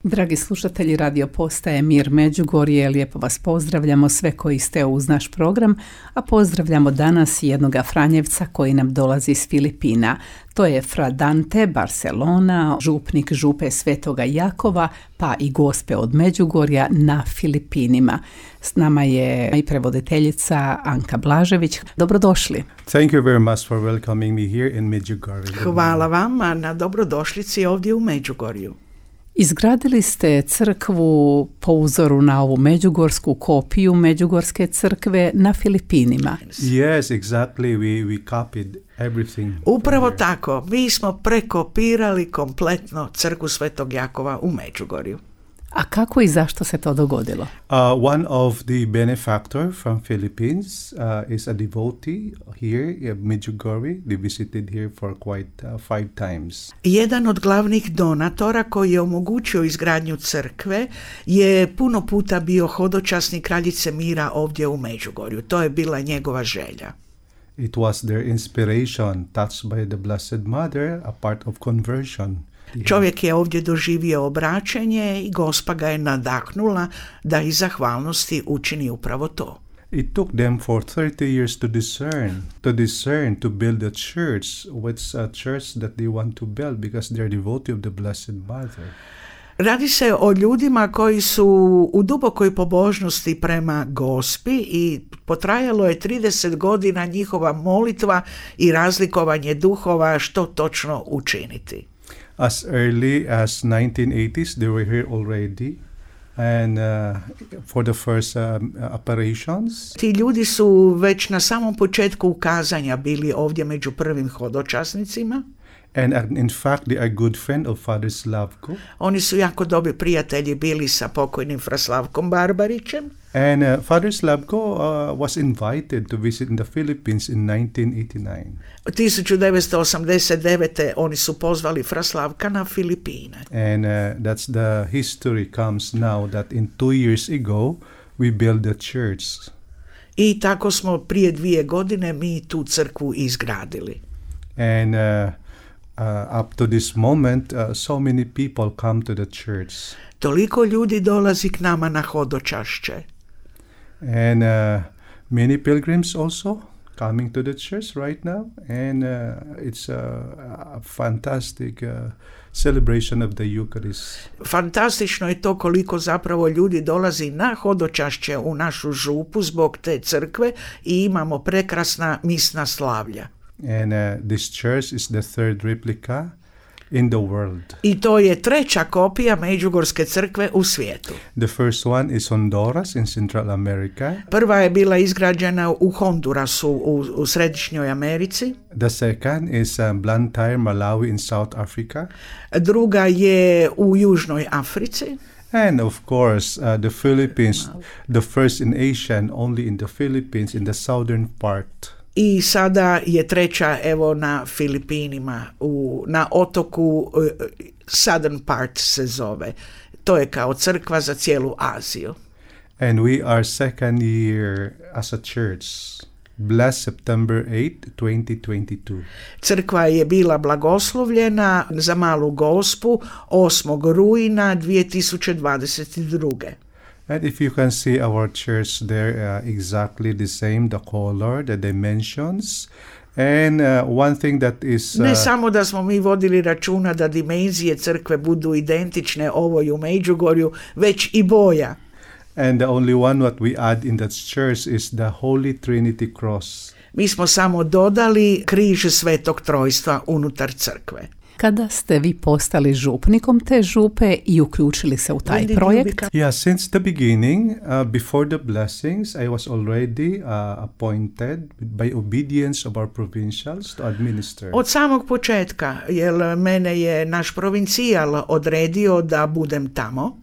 Dragi slušatelji radio postaje Mir Međugorje, lijepo vas pozdravljamo sve koji ste uz naš program, a pozdravljamo danas jednoga Franjevca koji nam dolazi iz Filipina. To je Fra Dante Barcelona, župnik župe Svetoga Jakova, pa i gospe od Međugorja na Filipinima. S nama je i prevoditeljica Anka Blažević. Dobrodošli. Thank you very much for welcoming me here in Medjugorje. Hvala vama na dobrodošlici ovdje u Međugorju. Izgradili ste crkvu po uzoru na ovu međugorsku kopiju Međugorske crkve na Filipinima. Yes, exactly. We copied everything. Upravo tako. Mi smo prekopirali kompletno crkvu Svetog Jakova u Međugorju. A kako i zašto se to dogodilo? One of the benefactor from Philippines is a devotee here in Medjugorje. They visited here for quite 5 times. Jedan od glavnih donatora koji je omogućio izgradnju crkve je puno puta bio hodočasnik Kraljice mira ovdje u Međugorju. To je bila njegova želja. It was their inspiration, touched by the Blessed Mother, a part of conversion. Čovjek je ovdje doživio obraćenje i Gospa ga je nadahnula da iz zahvalnosti učini upravo to. It took them for 30 years to discern, to build a church. What's a church that they want to build because they're devotee of the Blessed Mother. Radi se o ljudima koji su u dubokoj pobožnosti prema Gospi i potrajalo je 30 godina njihova molitva i razlikovanje duhova što točno učiniti. As early as 1980s, they were here already, and for the first operations. Ti ljudi su već na samom početku ukazanja bili ovdje među prvim hodočasnicima. And in fact, they are good friend of Father Slavko. Oni su jako dobri prijatelji bili sa pokojnim Fra Slavkom Barbarićem. And Father Slavko was invited to visit in the Philippines in 1989. 1989. oni su pozvali Fra Slavka na Filipine. And that's the history comes now that in 2 years ago we built the church. I tako smo prije 2 godine mi tu crkvu izgradili. And up to this moment, so many people come to the church. Toliko ljudi dolazi k nama na hodočašće. And many pilgrims also coming to the church right now. And it's a fantastic celebration of the Eucharist. Fantastično je to koliko zapravo ljudi dolazi na hodočašće u našu župu zbog te crkve i imamo prekrasna misna slavlja. And this church is the third replica in the world. I to je treća kopija Međugorske crkve u svijetu. The first one is Honduras in Central America. Prva je bila izgrađena u Hondurasu u Središnjoj Americi. The second is Blantyre, Malawi in South Africa. Druga je u Južnoj Africi. And of course, the Philippines, the first in Asia and only in the Philippines in the southern part. I sada je treća evo na Filipinima, na otoku Southern Part se zove. To je kao crkva za cijelu Aziju. And we are second year as a church. Blessed September 8, 2022. Crkva je bila blagoslovljena za malu Gospu 8. rujna 2022. And if you can see our church there, exactly the same, the color, the dimensions. And one thing that is... Ne samo da smo mi vodili računa da dimenzije crkve budu identične ovoj u Međugorju, već i boja. And the only one what we add in that church is the Holy Trinity cross. Mi smo samo dodali križ Svetog Trojstva unutar crkve. Kada ste vi postali župnikom te župe i uključili se u taj projekt? Yeah, since the beginning, before the blessings, I was already appointed by obedience of our provincials to administer. Od samog početka, jer mene je naš provincijal odredio da budem tamo.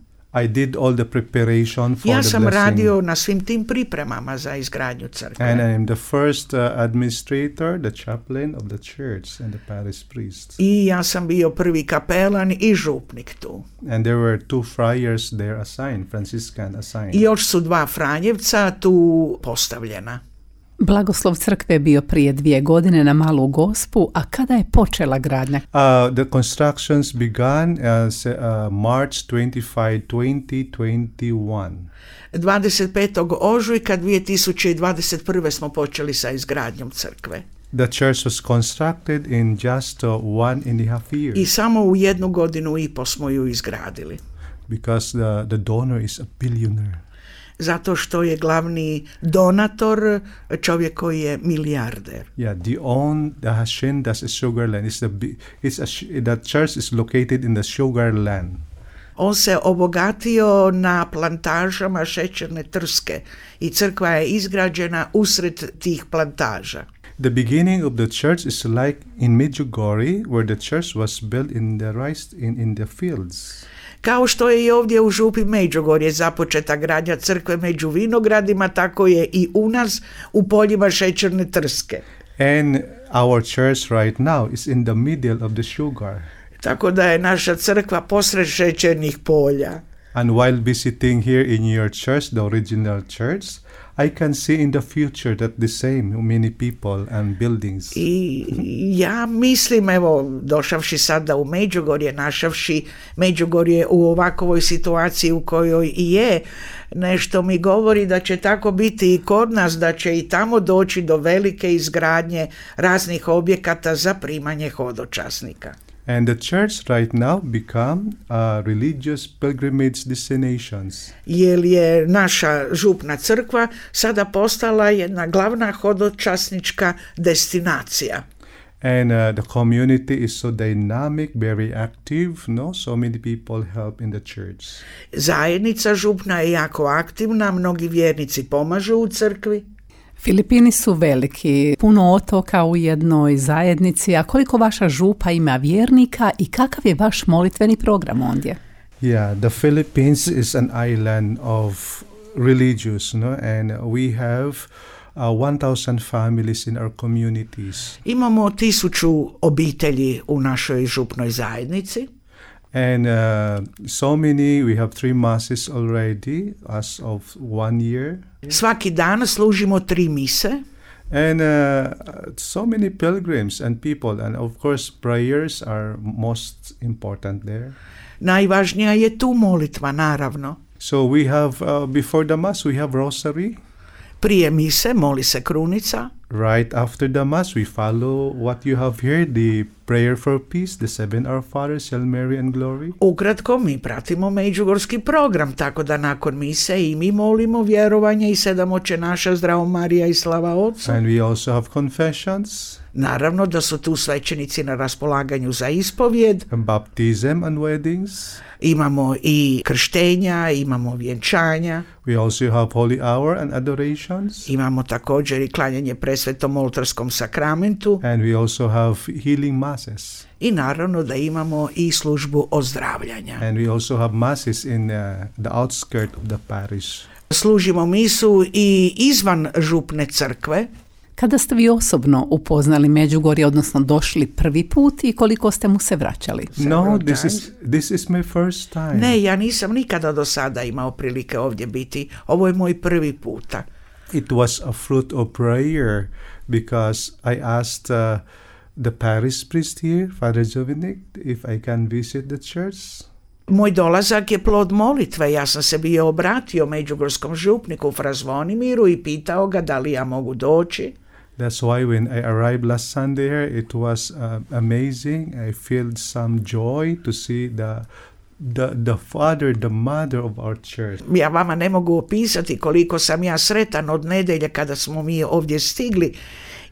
I did all the preparation for ja the sam blessing. radio na svim tim pripremama za izgradnju crkve. And I am the first administrator, the chaplain of the church and the parish priest. I ja sam bio prvi kapelan i župnik tu. And there were 2 friars there assigned, Franciscan assigned. I još su 2 Franjevca tu postavljena. Blagoslov crkve je bio prije 2 godine na Malu Gospu, a kada je počela gradnja? The constructions began March 25, 2021. 25. ožujka 2021. smo počeli sa izgradnjom crkve. The church was constructed in just 1.5 years. I samo u 1 godinu i po smo ju izgradili. Because the donor is a billionaire. Zato što je glavni donator čovjek koji je milijarder. Yeah, the Hashin, that's a sugar land. The church is located in the sugar land. On se obogatio na plantažama šećerne trske i crkva je izgrađena usred tih plantaža. The beginning of the church is like in Medjugorje, where the church was built in the rice in the fields. Kao što je i ovdje u župi Međugorje započeta gradnja crkve među vinogradima, tako je i u nas u poljima šećerne trske. And our church right now is in the middle of the sugar. Tako da je naša crkva posred šećernih polja. And while visiting here in your church, the original church, I can see in the future that the same many people and buildings. I ja mislim, evo, došavši sada u Međugorje, našavši Međugorje u ovakvoj situaciji u kojoj i je, nešto mi govori da će tako biti i kod nas, da će i tamo doći do velike izgradnje raznih objekata za primanje hodočasnika. And the church right now become a religious pilgrimage destinations. Jer je naša župna crkva sada postala jedna glavna hodočasnička destinacija. And the community is so dynamic, very active, no? So many people help in the church. Zajednica župna je jako aktivna, mnogi vjernici pomažu u crkvi. Filipini su veliki, puno otoka u jednoj zajednici, a koliko vaša župa ima vjernika i kakav je vaš molitveni program ondje? Yeah, the Philippines is an island of religious, no? And we have 1,000 families in our communities. Imamo 1000 obitelji u našoj župnoj zajednici. And so many, we have 3 masses already as of 1 year. Svaki dan služimo 3 mise. And so many pilgrims and people, and of course prayers are most important there. Najvažnija je tu molitva, naravno. So we have, before the mass we have rosary. Prije mise moli se krunica. Right after the mass we follow what you have here, the prayer for peace, the 7 Our Fathers, Hail Mary and Glory. Ukratko, mi pratimo međugorski program, tako da nakon mise i mi molimo vjerovanje i 7 Oče naša, Zdravo Marija i slava Otcu. And we also have confessions. Naravno da su tu svećenici na raspolaganju za ispovjed. And baptism and weddings. Imamo i krštenja, imamo vjenčanja. We also have holy hour and adorations. Imamo također i klanjanje presvetom oltarskom sakramentu. And we also have healing masses. I naravno da imamo i službu ozdravljanja. And we also have masses in the outskirts of the parish. Služimo misu i izvan župne crkve. Kada ste vi osobno upoznali Međugorje, odnosno došli prvi put i koliko ste mu se vraćali? No, this is my first time. Ne, ja nisam nikada do sada imao prilike ovdje biti. Ovo je moj prvi puta. It was a fruit of prayer because I asked the parish priest here, Father Jovinic, if I can visit the church. Moj dolazak je plod molitve. Ja sam se bio obratio međugorskom župniku Fra Zvonimiru i pitao ga da li ja mogu doći. That's why when I arrived last Sunday here, it was amazing. I felt some joy to see the father, the mother of our church. Ja vama ne mogu opisati koliko sam ja sretan od nedjelje kada smo mi ovdje stigli,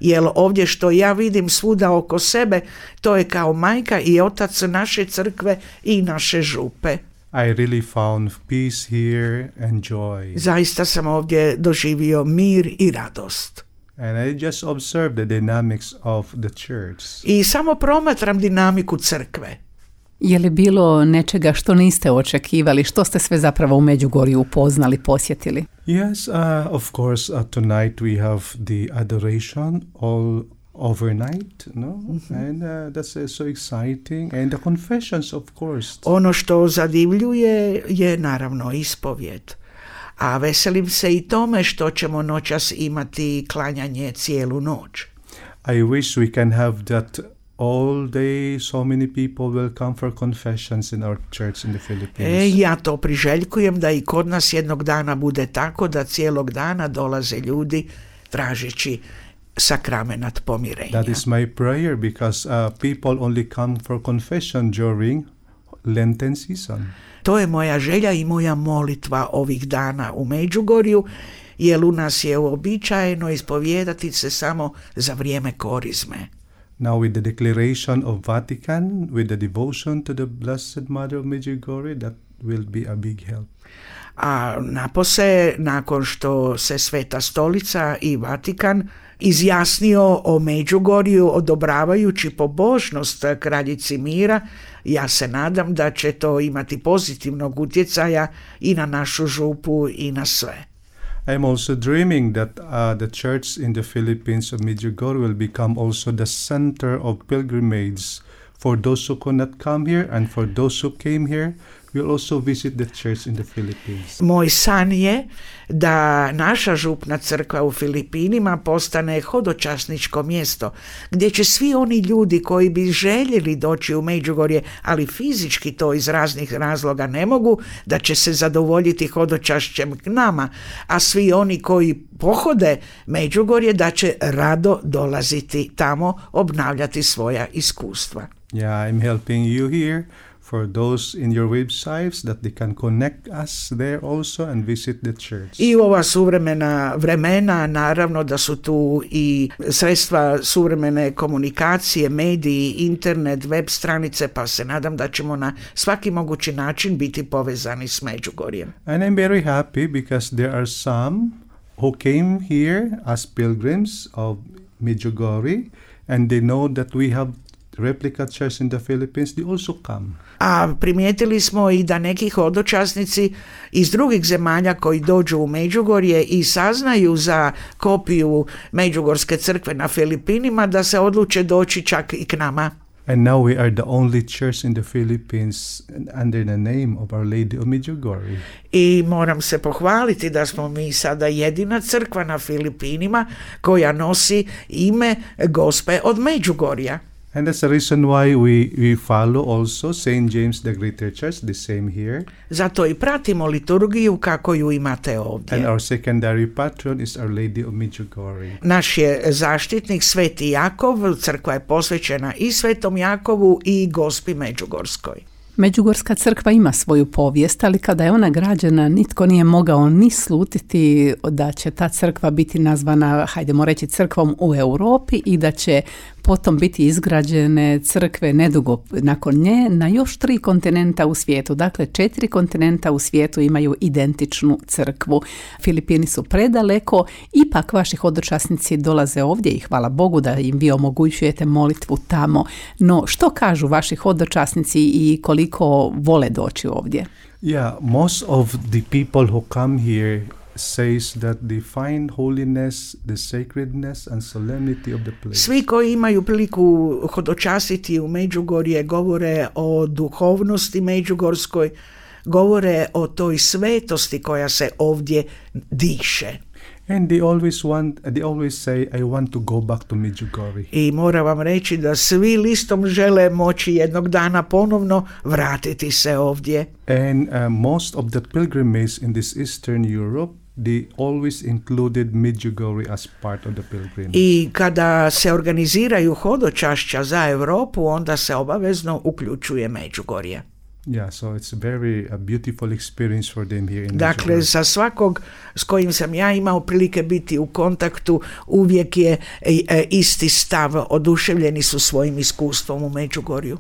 jer ovdje što ja vidim svuda oko sebe, to je kao majka i otac naše crkve i naše župe. I really found peace here and joy. Zaista sam ovdje doživio mir i radost. And I just observed the dynamics of the church. I samo promatram dinamiku crkve. Je li bilo nečega što niste očekivali? Što ste sve zapravo u Međugorju upoznali, posjetili? Yes, of course, tonight we have the adoration all overnight, no? Mm-hmm. And that's so exciting. And the confessions, of course. Ono što zadivljuje je naravno ispovjed. a veselim se i tome što ćemo noćas imati klanjanje cijelu noć. I wish we can have that all day. So many people will come for confessions in our church in the Philippines. Ja to priželjkujem da i kod nas jednog dana bude tako da cijelog dana dolaze ljudi tražeći sakramenat pomirenja. That is my prayer, because people only come for confession during Lenten season. To je moja želja i moja molitva ovih dana u Međugorju, jer u nas je uobičajeno ispovijedati se samo za vrijeme korizme. Now with the declaration of Vatican, with the devotion to the Blessed Mother of Medjugorje, that will be a big help. A napose, nakon što se Sveta Stolica i Vatikan izjasnio o Međugorju odobravajući pobožnost kraljici mira, ja se nadam da će to imati pozitivnog utjecaja i na našu župu i na sve. I'm also dreaming that the church in the Philippines of Medjugorje will become also the center of pilgrimage for those who could not come here, and for those who came here will also visit the church in the Philippines. Moj san je da naša župna crkva u Filipinima postane hodočasničko mjesto gdje će svi oni ljudi koji bi željeli doći u Međugorje, ali fizički to iz raznih razloga ne mogu, da će se zadovoljiti hodočašćem k nama, a svi oni koji pohode Međugorje da će rado dolaziti tamo, obnavljati svoja iskustva. Yeah, I'm helping you here for those in your websites that they can connect us there also and visit the church. I u ova suvremena vremena, naravno da su tu i sredstva suvremene komunikacije, mediji, internet, web stranice, pa se nadam da ćemo na svaki mogući način biti povezani s Međugorjem. And I'm very happy because there are some who came here as pilgrims of Medjugorje, and they know that we have replica church in the Philippines. They also come. A primijetili smo i da neki hodočasnici iz drugih zemalja koji dođu u Međugorje i saznaju za kopiju Međugorske crkve na Filipinima, da se odluče doći čak i k nama. And now we are the only church in the Philippines under the name of Our Lady of Medjugorje. I moram se pohvaliti da smo mi sada jedina crkva na Filipinima koja nosi ime Gospe od Međugorja. And that's the reason why we follow also St. James the Greater Church, the same here. Zato i pratimo liturgiju kako ju imate ovdje. And our secondary patron is Our Lady of Medjugorje. Naš je zaštitnik Sveti Jakov, crkva je posvećena i Svetom Jakovu i Gospi Međugorskoj. Međugorska crkva ima svoju povijest, ali kada je ona građena, nitko nije mogao ni slutiti da će ta crkva biti nazvana, hajdemo reći, crkvom u Europi i da će potom biti izgrađene crkve nedugo nakon nje na još 3 kontinenta u svijetu. Dakle, 4 kontinenta u svijetu imaju identičnu crkvu. Filipini su predaleko, ipak vaši hodočasnici dolaze ovdje i hvala Bogu da im vi omogućujete molitvu tamo. No, što kažu vaši hodočasnici i koliko vole doći ovdje? Yeah, most of the people who come here says that they find holiness, the sacredness and solemnity of the place. Svi koji imaju priliku hodočasiti u Međugorje govore o duhovnosti međugorskoj, govore o toj svetosti koja se ovdje diše. And they always say, I want to go back to Medjugorje. I moram vam reći da svi listom žele moći jednog dana ponovno vratiti se ovdje. And most of the pilgrimage in this Eastern Europe, they always included Medjugorje as part of the pilgrimage. I kada se organiziraju hodočašća za Europu, onda se obavezno uključuje Međugorje. Yeah, so it's very a beautiful experience for them here in Dakle, Medjugorje. za svakog s kojim sam ja imao prilike biti u kontaktu, uvijek je isti stav, oduševljeni su svojim iskustvom u Međugorju.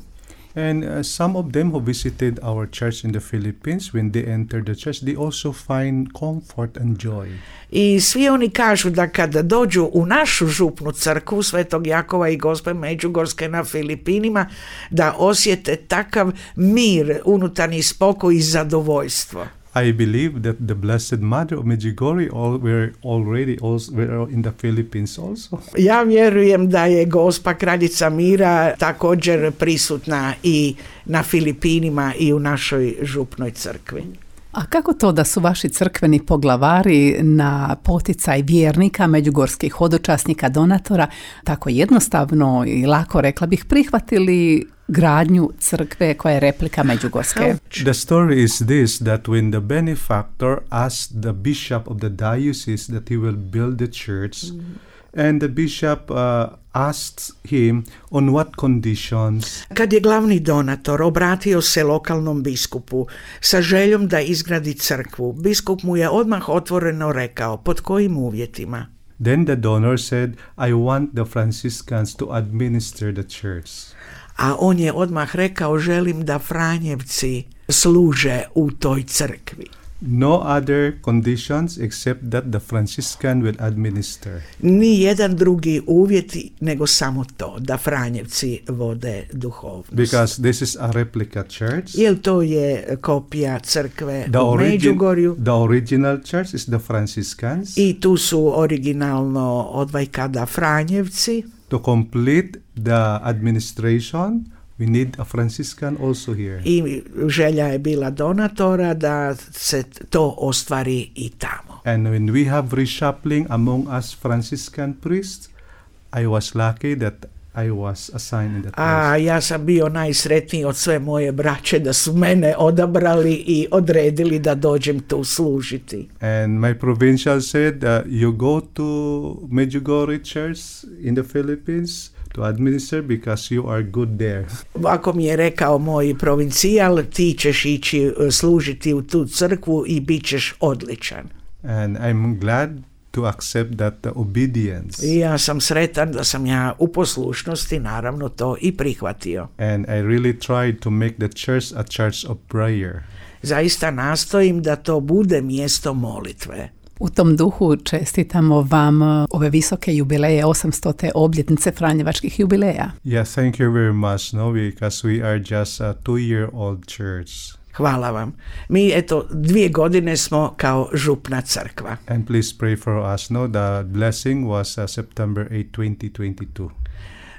And some of them who visited our church in the Philippines, when they enter the church, they also find comfort and joy. I svi oni kažu da kada dođu u našu župnu crkvu Svetog Jakova i Gospe Međugorske na Filipinima, da osjete takav mir, unutarnji spokoj i zadovoljstvo. I believe that the Blessed Mother of Medjugorje were in the Philippines also. Ja vjerujem da je Gospa Kraljica mira također prisutna i na Filipinima i u našoj župnoj crkvi. A kako to da su vaši crkveni poglavari na poticaj vjernika, međugorskih hodočasnika, donatora, tako jednostavno i lako, rekla bih, prihvatili gradnju crkve koja je replika međugorske? The story is this, that when the benefactor asked the bishop of the diocese that he will build the church, and the bishop asked him on what conditions. Kad je glavni donator obratio se lokalnom biskupu sa željom da izgradi crkvu, biskup mu je odmah otvoreno rekao pod kojim uvjetima. Then the donor said, I want the Franciscans to administer the church. A on je odmah rekao, želim da Franjevci služe u toj crkvi. No other conditions except that the Franciscan will administer. Ni jedan drugi uvjet nego samo to, da Franjevci vode duhovnost. Because this is a replica church. Jer to je kopija crkve u Međugorju. The original church is the Franciscans. I tu su originalno odvajkada Franjevci. To complete the administration, we need a Franciscan also here. I želja je bila donatora da se to ostvari i tamo. And when we have reshuffling among us Franciscan priests, I was lucky that I was assigned in that place. A ja sam bio najsretniji od sve moje braće da su mene odabrali i odredili da dođem tu služiti. And my provincial said, you go to Medjugorje Church in the Philippines to administer because you are good there. Ako mi je rekao moj provincijal, ti ćeš ići služiti u tu crkvu i bit ćeš odličan. And I'm glad to accept that obedience. I ja sam sretan da sam ja u poslušnosti naravno to i prihvatio. And I really tried to make the church a church of prayer. Zaista nastojim da to bude mjesto molitve. U tom duhu čestitamo vam ove visoke jubileje, 800. obljetnice Franjevačkih jubileja. Yes, thank you very much, no, because we are just a 2-year-old church. Hvala vam. Mi, 2 godine smo kao župna crkva. And please pray for us, no, the blessing was September 8,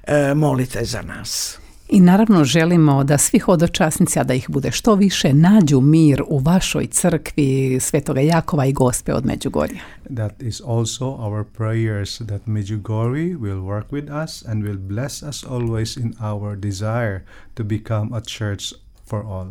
2022. Molite za nas. I naravno želimo da svi hodočasnici, a da ih bude što više, nađu mir u vašoj crkvi Svetoga Jakova i Gospe od Međugorja. That is also our prayers that Medjugorje will work with us and will bless us always in our desire to become a church for all.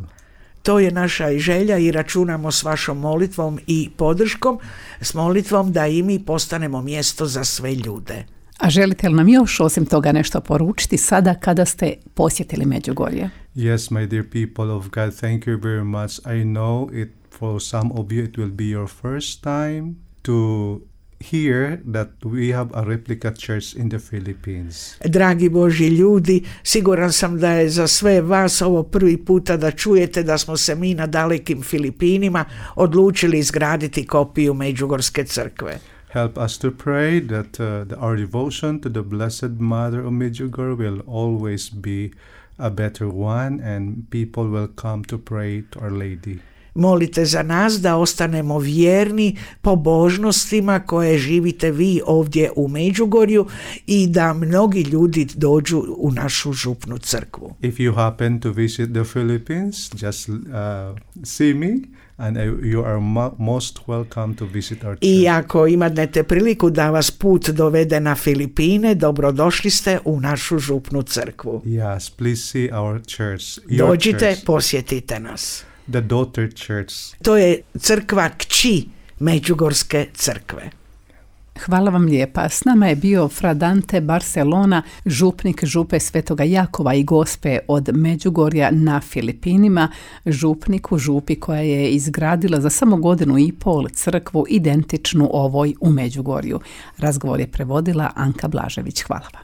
To je naša i želja i računamo s vašom molitvom i podrškom, s molitvom da i mi postanemo mjesto za sve ljude. A želite li nam još osim toga nešto poručiti sada kada ste posjetili Međugorje? Yes, my dear people of God, thank you very much. I know it for some of you it will be your first time to hear that we have a replica church in the Philippines. Dragi Božji ljudi, siguran sam da je za sve vas ovo prvi puta da čujete da smo se mi na dalekim Filipinima odlučili izgraditi kopiju Međugorske crkve. Help us to pray that our devotion to the Blessed Mother of Medjugorje will always be a better one and people will come to pray to Our Lady. Molite za nas da ostanemo vjerni pobožnostima koje živite vi ovdje u Međugorju i da mnogi ljudi dođu u našu župnu crkvu. If you happen to visit the Philippines, just see me. And you are most welcome to visit our church. I ako imate priliku da vas put dovede na Filipine, dobrodošli ste u našu župnu crkvu. Yes, please see our church. Dođite, church. Posjetite nas. The daughter church. To je crkva kći Međugorske crkve. Hvala vam lijepa. S nama je bio Fra Dante Barcelona, župnik župe Svetoga Jakova i Gospe od Međugorja na Filipinima, župnik u župi koja je izgradila za samo 1.5 godinu crkvu identičnu ovoj u Međugorju. Razgovor je prevodila Anka Blažević. Hvala vam.